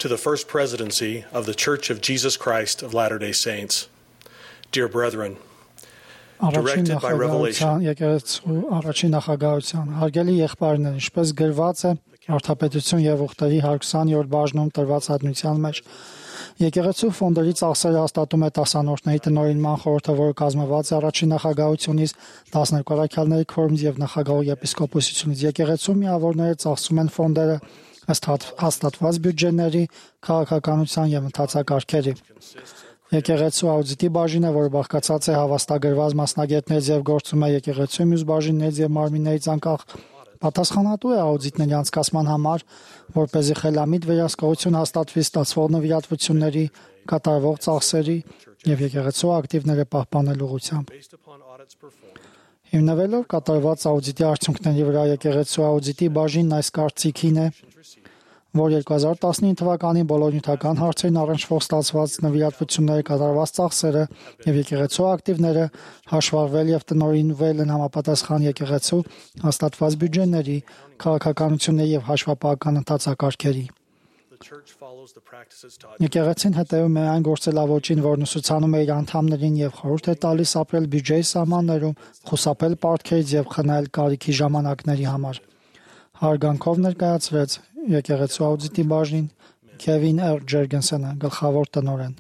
to the First Presidency of the Church of Jesus Christ of Latter-day Saints. Dear brethren, directed by revelation, առաջին նախագահության հարգելի եղբայրներ, ինչպես գրված է Արդապետություն եւ ուխտերի 120-րդ բաժնում տրված հատնության մեջ, եկեղեցու ֆոնդերի ծախսերը հաստատում է տասանորդների տնօրինման խորհուրդը, որը կազմված է առաջին նախագահությունից, 12 առաքյալների քվորումից եւ նախագահի եպիսկոպոսությունից։ Եկեղեցու միավորները ծախսում են ֆոնդերը ըստ հաստատված բյուջեների, քաղաքականության եւ ընթացակարգերի։ Եկեղեցու աուդիտի բաժինը, որը բաղկացած է հավաստագրված մասնագետներից եւ գործում է եկեղեցու մյուս բաժիններից եւ մարմիններից անկախ, պատասխանատու է աուդիտների անցկացման համար, որպեսզի խելամիտ վերահսկողություն հաստատվի ստացվող նվիրատվությունների, կատարվող ծախսերի եւ եկեղեցու ակտիվները պահպանելու ուղղությամբ։ Հիմնվելով կատարված աուդիտի արդյունքների վրա, եկեղեցու աուդիտի բաժինն այս կարծիքին է, որ 2019 թվականին բոլոր նյութական հարցերին առնչվող ստացված նվիրատվությունները, կատարված ծախսերը եւ եկեղեցու ակտիվները հաշվառվել եւ տնօրինվել են համապատասխան եկեղեցու հաստատված բյուջեների, քաղաքականությունների եւ հաշվապահական ընթացակարգերի։ Եկեղեցին հետևում է այն գործելավոճին, որն ուսուցանում է իր անդամներին եւ խորհուրդ է տալիս ապրել բյուջեի սահմաններում, խուսափել պարտքերից եւ խնայել կարիքի ժամանակների համար։ Հարգանքով ներկայացրեց եկեղեցու աուդիտի բաժին Քևին Ջերգենսենը, գլխավոր տնօրեն։